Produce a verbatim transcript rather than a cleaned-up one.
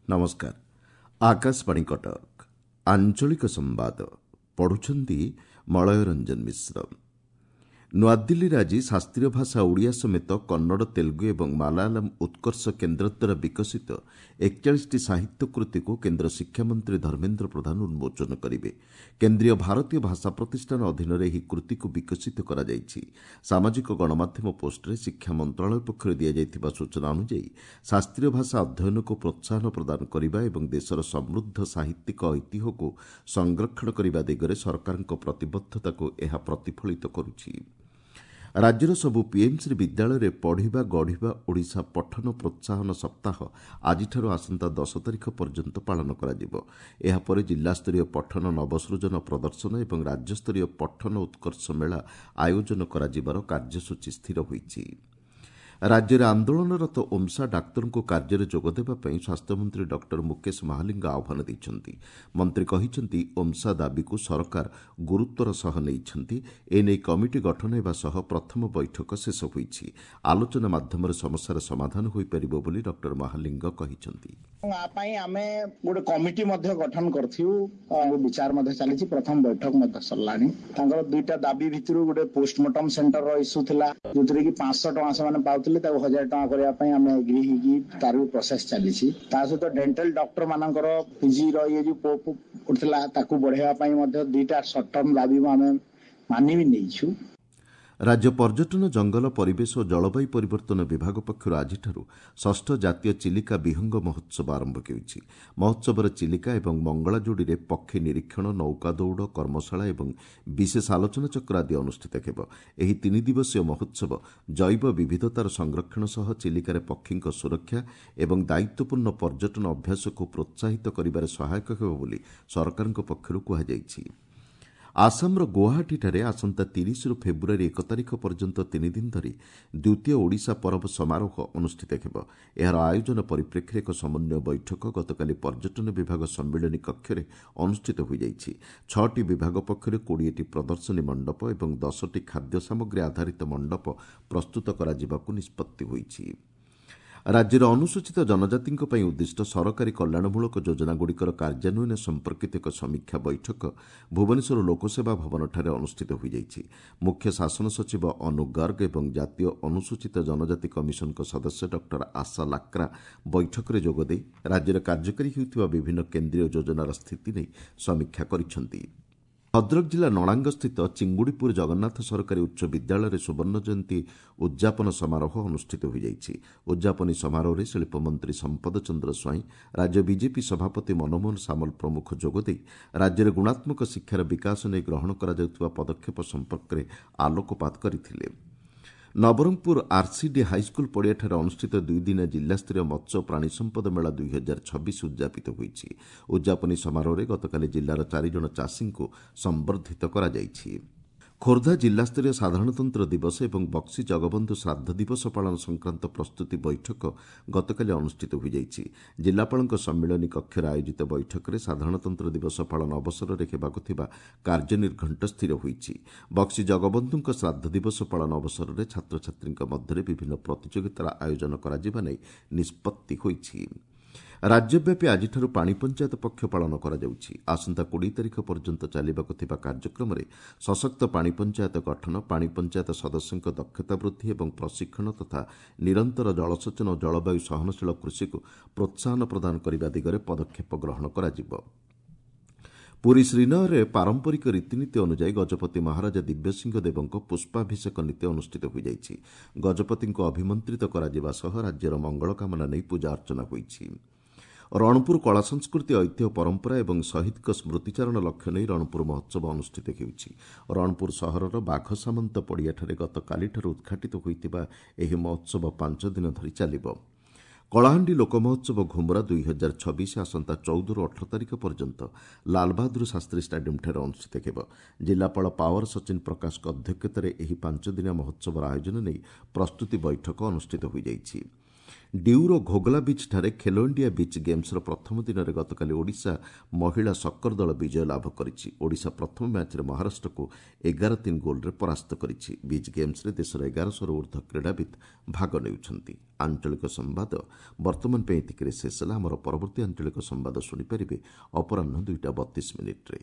ନମସ୍କାର ଆକାଶବାଣୀ କଟକ ଆଞ୍ଚଳିକ ସମ୍ବାଦ ପଢୁଛନ୍ତି ମଳୟ ରଞ୍ଜନ ମିଶ୍ର ନୂଆଦିଲ୍ଲୀରେ ଆଜି ଶାସ୍ତ୍ରୀୟ ଭାଷା ଓଡ଼ିଆ ସମେତ କନ୍ନଡ଼ ତେଲୁଗୁ ଏବଂ ମାଲାୟାଲମ୍ ଉତ୍କର୍ଷ କେନ୍ଦ୍ର ଦ୍ୱାରା ବିକଶିତ ଏକଚାଳିଶଟି ସାହିତ୍ୟ କୃତିକୁ କେନ୍ଦ୍ର ଶିକ୍ଷାମନ୍ତ୍ରୀ ଧର୍ମେନ୍ଦ୍ର ପ୍ରଧାନ ଉନ୍ମୋଚନ କରିବେ କେନ୍ଦ୍ରୀୟ ଭାରତୀୟ ଭାଷା ପ୍ରତିଷ୍ଠାନ ଅଧୀନରେ ଏହି କୃତିକୁ ବିକଶିତ କରାଯାଇଛି ସାମାଜିକ ଗଣମାଧ୍ୟମ ପୋଷ୍ଟରେ ଶିକ୍ଷା ମନ୍ତ୍ରଣାଳୟ ପକ୍ଷରୁ ଦିଆଯାଇଥିବା ସୂଚନା ଅନୁଯାୟୀ ଶାସ୍ତ୍ରୀୟ ଭାଷା ଅଧ୍ୟୟନକୁ ପ୍ରୋତ୍ସାହନ ପ୍ରଦାନ କରିବା ଏବଂ ଦେଶର ସମୃଦ୍ଧ ସାହିତ୍ୟିକ ଐତିହ୍ୟକୁ ସଂରକ୍ଷଣ କରିବା ଦିଗରେ ସରକାରଙ୍କ ପ୍ରତିବଦ୍ଧତାକୁ ଏହା ପ୍ରତିଫଳିତ କରୁଛି ରାଜ୍ୟର ସବୁ ପିଏମ୍ଶ୍ରୀ ବିଦ୍ୟାଳୟରେ ପଢ଼ିବା ଗଢ଼ିବା ଓଡ଼ିଶା ପଠନ ପ୍ରୋତ୍ସାହନ ସପ୍ତାହ ଆଜିଠାରୁ ଆସନ୍ତା ଦଶ ତାରିଖ ପର୍ଯ୍ୟନ୍ତ ପାଳନ କରାଯିବ ଏହାପରେ ଜିଲ୍ଲାସ୍ତରୀୟ ପଠନ ନବସୃଜନ ପ୍ରଦର୍ଶନ ଏବଂ ରାଜ୍ୟସ୍ତରୀୟ ପଠନ ଉତ୍କର୍ଷ ମେଳା ଆୟୋଜନ କରାଯିବାର କାର୍ଯ୍ୟସୂଚୀ ସ୍ଥିର ହୋଇଛି ରାଜ୍ୟରେ ଆନ୍ଦୋଳନରତ ଓମ୍ସା ଡାକ୍ତରଙ୍କୁ କାର୍ଯ୍ୟରେ ଯୋଗଦେବା ପାଇଁ ସ୍ୱାସ୍ଥ୍ୟମନ୍ତ୍ରୀ ଡକ୍ଟର ମୁକେଶ ମହାଲିଙ୍ଗ ଆହ୍ୱାନ ଦେଇଛନ୍ତି ମନ୍ତ୍ରୀ କହିଛନ୍ତି ଓମ୍ସା ଦାବିକୁ ସରକାର ଗୁରୁତ୍ୱର ସହ ନେଇଛନ୍ତି ଏନେଇ କମିଟି ଗଠନ ହେବା ସହ ପ୍ରଥମ ବୈଠକ ଶେଷ ହୋଇଛି ଆଲୋଚନା ମାଧ୍ୟମରେ ସମସ୍ୟାର ସମାଧାନ ହୋଇପାରିବ ବୋଲି ଡକ୍ଟର ମହାଲିଙ୍ଗ କହିଛନ୍ତି ଆ ପାଇଁ ଆମେ ଗୋଟେ କମିଟି ମଧ୍ୟ ଗଠନ କରିଥିଲୁ ବିଚାର ମଧ୍ୟ ଚାଲିଛି ପ୍ରଥମ ବୈଠକ ମଧ୍ୟ ସରିଲାଣି ତାଙ୍କର ଦୁଇଟା ଦାବି ଭିତରୁ ଗୋଟେ ପୋଷ୍ଟମର୍ଟମ ସେଣ୍ଟରର ଇସ୍ୟୁ ଥିଲା ଯୋଉଥିରେ କି ପାଞ୍ଚଶହ ଟଙ୍କା ସେମାନେ ପାଉଥିଲେ ତାକୁ ହଜାର ଟଙ୍କା କରିବା ପାଇଁ ଆମେ ଏଗ୍ରି ହେଇକି ତାର ବି ପ୍ରୋସେସ ଚାଲିଛି ତା ସହିତ ଡେଣ୍ଟାଲ ଡକ୍ଟର ମାନଙ୍କର ପିଜି ର ଇଏ ଯୋଉ ଉଠୁଥିଲା ତାକୁ ବଢେଇବା ପାଇଁ ମଧ୍ୟ ଦୁଇଟା ସର୍ଟ ଟର୍ମ ଦାବି ଆମେ ମାନି ବି ନେଇଛୁ ରାଜ୍ୟ ପର୍ଯ୍ୟଟନ ଜଙ୍ଗଲ ପରିବେଶ ଓ ଜଳବାୟୁ ପରିବର୍ତ୍ତନ ବିଭାଗ ପକ୍ଷରୁ ଆଜିଠାରୁ ଷଷ୍ଠ ଜାତୀୟ ଚିଲିକା ବିହଙ୍ଗ ମହୋତ୍ସବ ଆରମ୍ଭ ହେଉଛି ମହୋତ୍ସବରେ ଚିଲିକା ଏବଂ ମଙ୍ଗଳାଯୋଡ଼ିରେ ପକ୍ଷୀ ନିରୀକ୍ଷଣ ନୌକା ଦୌଡ଼ କର୍ମଶାଳା ଏବଂ ବିଶେଷ ଆଲୋଚନାଚକ୍ର ଆଦି ଅନୁଷ୍ଠିତ ହେବ ଏହି ତିନି ଦିବସୀୟ ମହୋତ୍ସବ ଜୈବ ବିବିଧତାର ସଂରକ୍ଷଣ ସହ ଚିଲିକାରେ ପକ୍ଷୀଙ୍କ ସୁରକ୍ଷା ଏବଂ ଦାୟିତ୍ୱପୂର୍ଣ୍ଣ ପର୍ଯ୍ୟଟନ ଅଭ୍ୟାସକୁ ପ୍ରୋତ୍ସାହିତ କରିବାରେ ସହାୟକ ହେବ ବୋଲି ସରକାରଙ୍କ ପକ୍ଷରୁ କୁହାଯାଇଛି ଆସାମର ଗୁଆହାଟୀଠାରେ ଆସନ୍ତା ତିରିଶରୁ ଫେବୃଆରୀ ଏକ ତାରିଖ ପର୍ଯ୍ୟନ୍ତ ତିନିଦିନ ଧରି ଦ୍ୱିତୀୟ ଓଡ଼ିଶା ପରବ ସମାରୋହ ଅନୁଷ୍ଠିତ ହେବ ଏହାର ଆୟୋଜନ ପରିପ୍ରେକ୍ଷୀରେ ଏକ ସମନ୍ୱୟ ବୈଠକ ଗତକାଲି ପର୍ଯ୍ୟଟନ ବିଭାଗ ସମ୍ମିଳନୀ କକ୍ଷରେ ଅନୁଷ୍ଠିତ ହୋଇଯାଇଛି ଛଅଟି ବିଭାଗ ପକ୍ଷରୁ କୋଡ଼ିଏଟି ପ୍ରଦର୍ଶନୀ ମଣ୍ଡପ ଏବଂ ଦଶଟି ଖାଦ୍ୟ ସାମଗ୍ରୀ ଆଧାରିତ ମଣ୍ଡପ ପ୍ରସ୍ତୁତ କରାଯିବାକୁ ନିଷ୍ପତ୍ତି ହୋଇଛି ରାଜ୍ୟର ଅନୁସୂଚିତ ଜନଜାତିଙ୍କ ପାଇଁ ଉଦ୍ଦିଷ୍ଟ ସରକାରୀ କଲ୍ୟାଣମୂଳକ ଯୋଜନାଗୁଡ଼ିକର କାର୍ଯ୍ୟାନ୍ୱୟନ ସମ୍ପର୍କିତ ଏକ ସମୀକ୍ଷା ବୈଠକ ଭୁବନେଶ୍ୱର ଲୋକସେବା ଭବନଠାରେ ଅନୁଷ୍ଠିତ ହୋଇଯାଇଛି ମୁଖ୍ୟ ଶାସନ ସଚିବ ଅନୁ ଗର୍ଗ ଏବଂ ଜାତୀୟ ଅନୁସୂଚିତ ଜନଜାତି କମିଶନଙ୍କ ସଦସ୍ୟ ଡକ୍ଟର ଆଶା ଲାକ୍ରା ବୈଠକରେ ଯୋଗଦେଇ ରାଜ୍ୟରେ କାର୍ଯ୍ୟକାରୀ ହେଉଥିବା ବିଭିନ୍ନ କେନ୍ଦ୍ରୀୟ ଯୋଜନାର ସ୍ଥିତି ନେଇ ସମୀକ୍ଷା କରିଛନ୍ତି ଭଦ୍ରକ ଜିଲ୍ଲା ନଳାଙ୍ଗସ୍ଥିତ ଚିଙ୍ଗୁଡ଼ିପୁର ଜଗନ୍ନାଥ ସରକାରୀ ଉଚ୍ଚ ବିଦ୍ୟାଳୟରେ ସୁବର୍ଣ୍ଣ ଜୟନ୍ତୀ ଉଦ୍ଯାପନ ସମାରୋହ ଅନୁଷ୍ଠିତ ହୋଇଯାଇଛି ଉଦ୍ଯାପନୀ ସମାରୋହରେ ଶିଳ୍ପମନ୍ତ୍ରୀ ସମ୍ପଦ ଚନ୍ଦ୍ର ସ୍ୱାଇଁ ରାଜ୍ୟ ବିଜେପି ସଭାପତି ମନମୋହନ ସାମଲ ପ୍ରମୁଖ ଯୋଗଦେଇ ରାଜ୍ୟରେ ଗୁଣାତ୍ମକ ଶିକ୍ଷାର ବିକାଶ ନେଇ ଗ୍ରହଣ କରାଯାଉଥିବା ପଦକ୍ଷେପ ସମ୍ପର୍କରେ ଆଲୋକପାତ କରିଥିଲେ ନବରଙ୍ଗପୁର ଆର୍ସିଡି ହାଇସ୍କୁଲ ପଡ଼ିଆଠାରେ ଅନୁଷ୍ଠିତ ଦୁଇଦିନିଆ ଜିଲ୍ଲାସ୍ତରୀୟ ମତ୍ସ୍ୟ ଓ ପ୍ରାଣୀ ସମ୍ପଦ ମେଳା ଦୁଇ ହଜାର ଛବିଶ ଉଦ୍ଯାପିତ ହୋଇଛି ଉଦ୍ଯାପନୀ ସମାରୋହରେ ଗତକାଲି ଜିଲ୍ଲାର ଚାରିଜଣ ଚାଷୀଙ୍କୁ ସମ୍ବର୍ଦ୍ଧିତ କରାଯାଇଛି ଖୋର୍ଦ୍ଧା ଜିଲ୍ଲାସ୍ତରୀୟ ସାଧାରଣତନ୍ତ୍ର ଦିବସ ଏବଂ ବକ୍ସି ଜଗବନ୍ଧୁ ଶ୍ରାଦ୍ଧ ଦିବସ ପାଳନ ସଂକ୍ରାନ୍ତ ପ୍ରସ୍ତୁତି ବୈଠକ ଗତକାଲି ଅନୁଷ୍ଠିତ ହୋଇଯାଇଛି ଜିଲ୍ଲାପାଳଙ୍କ ସମ୍ମିଳନୀ କକ୍ଷରେ ଆୟୋଜିତ ବୈଠକରେ ସାଧାରଣତନ୍ତ୍ର ଦିବସ ପାଳନ ଅବସରରେ ହେବାକୁ ଥିବା କାର୍ଯ୍ୟନିର୍ଘଣ୍ଟ ସ୍ଥିର ହୋଇଛି ବକ୍ସି ଜଗବନ୍ଧୁଙ୍କ ଶ୍ରାଦ୍ଧ ଦିବସ ପାଳନ ଅବସରରେ ଛାତ୍ରଛାତ୍ରୀଙ୍କ ମଧ୍ୟରେ ବିଭିନ୍ନ ପ୍ରତିଯୋଗିତାର ଆୟୋଜନ କରାଯିବା ନେଇ ନିଷ୍ପତ୍ତି ହୋଇଛି ରାଜ୍ୟବ୍ୟାପୀ ଆଜିଠାରୁ ପାଣି ପଞ୍ଚାୟତ ପକ୍ଷ ପାଳନ କରାଯାଉଛି ଆସନ୍ତା କୋଡ଼ିଏ ତାରିଖ ପର୍ଯ୍ୟନ୍ତ ଚାଲିବାକୁ ଥିବା କାର୍ଯ୍ୟକ୍ରମରେ ସଶକ୍ତ ପାଣି ପଞ୍ଚାୟତ ଗଠନ ପାଣି ପଞ୍ଚାୟତ ସଦସ୍ୟଙ୍କ ଦକ୍ଷତା ବୃଦ୍ଧି ଏବଂ ପ୍ରଶିକ୍ଷଣ ତଥା ନିରନ୍ତର ଜଳସେଚନ ଓ ଜଳବାୟୁ ସହନଶୀଳ କୃଷିକୁ ପ୍ରୋତ୍ସାହନ ପ୍ରଦାନ କରିବା ଦିଗରେ ପଦକ୍ଷେପ ଗ୍ରହଣ କରାଯିବ ପୁରୀ ଶ୍ରୀନଅରରେ ପାରମ୍ପରିକ ରୀତିନୀତି ଅନୁଯାୟୀ ଗଜପତି ମହାରାଜା ଦିବ୍ୟସିଂହ ଦେବଙ୍କ ପୁଷ୍ପାଭିଷେକ ନୀତି ଅନୁଷ୍ଠିତ ହୋଇଯାଇଛି ଗଜପତିଙ୍କୁ ଅଭିମନ୍ତ୍ରିତ କରାଯିବା ସହ ରାଜ୍ୟର ମଙ୍ଗଳ କାମନା ନେଇ ପୂଜା ଅର୍ଚ୍ଚନା ହୋଇଛି ରଣପୁର କଳା ସଂସ୍କୃତି ଐତିହ୍ୟ ପରମ୍ପରା ଏବଂ ଶହୀଦଙ୍କ ସ୍ମୃତିଚାରଣ ଲକ୍ଷ୍ୟ ନେଇ ରଣପୁର ମହୋତ୍ସବ ଅନୁଷ୍ଠିତ ହେଉଛି ରଣପୁର ସହରର ବାଘ ସାମନ୍ତ ପଡ଼ିଆଠାରେ ଗତକାଲିଠାରୁ ଉଦ୍ଘାଟିତ ହୋଇଥିବା ଏହି ମହୋତ୍ସବ ପାଞ୍ଚ ଦିନ ଧରି ଚାଲିବ କଳାହାଣ୍ଡି ଲୋକ ମହୋତ୍ସବ ଘୁମୁରା ଦୁଇ ହଜାର ଛବିଶ ଆସନ୍ତା ଚଉଦରୁ ଅଠର ତାରିଖ ପର୍ଯ୍ୟନ୍ତ ଲାଲବାହାଦୁର ଶାସ୍ତ୍ରୀ ଷ୍ଟାଡିୟମ୍ଠାରେ ଅନୁଷ୍ଠିତ ହେବ ଜିଲ୍ଲାପାଳ ପାୱାର ସଚିନ ପ୍ରକାଶଙ୍କ ଅଧ୍ୟକ୍ଷତାରେ ଏହି ପାଞ୍ଚଦିନିଆ ମହୋତ୍ସବର ଆୟୋଜନ ନେଇ ପ୍ରସ୍ତୁତି ବୈଠକ ଅନୁଷ୍ଠିତ ହୋଇଯାଇଛି ଡିଉର ଘୋଗଲା ବିଚ୍ଠାରେ ଖେଲୋ ଇଣ୍ଡିଆ ବିଚ୍ ଗେମ୍ସର ପ୍ରଥମ ଦିନରେ ଗତକାଲି ଓଡ଼ିଶା ମହିଳା ସକର ଦଳ ବିଜୟ ଲାଭ କରିଛି। ଓଡ଼ିଶା ପ୍ରଥମ ମ୍ୟାଚ୍ରେ ମହାରାଷ୍ଟ୍ରକୁ ଏଗାର ତିନି ଗୋଲ୍ରେ ପରାସ୍ତ କରିଛି। ବିଚ୍ ଗେମ୍ସରେ ଦେଶର ଏଗାରଶହରୁ ଉର୍ଦ୍ଧ୍ୱ କ୍ରୀଡ଼ାବିତ୍ ଭାଗ ନେଉଛନ୍ତି। ଆଞ୍ଚଳିକ ସମ୍ବାଦ ବର୍ତ୍ତମାନ ପାଇଁ ଏତିକିରେ ଶେଷ ହେଲା। ଆମର ପରବର୍ତ୍ତୀ ଆଞ୍ଚଳିକ ସମ୍ବାଦ ଶୁଣିପାରିବେ ଅପରାହ୍ନ ଦୁଇଟା ବତିଶ ମିନିଟ୍ରେ।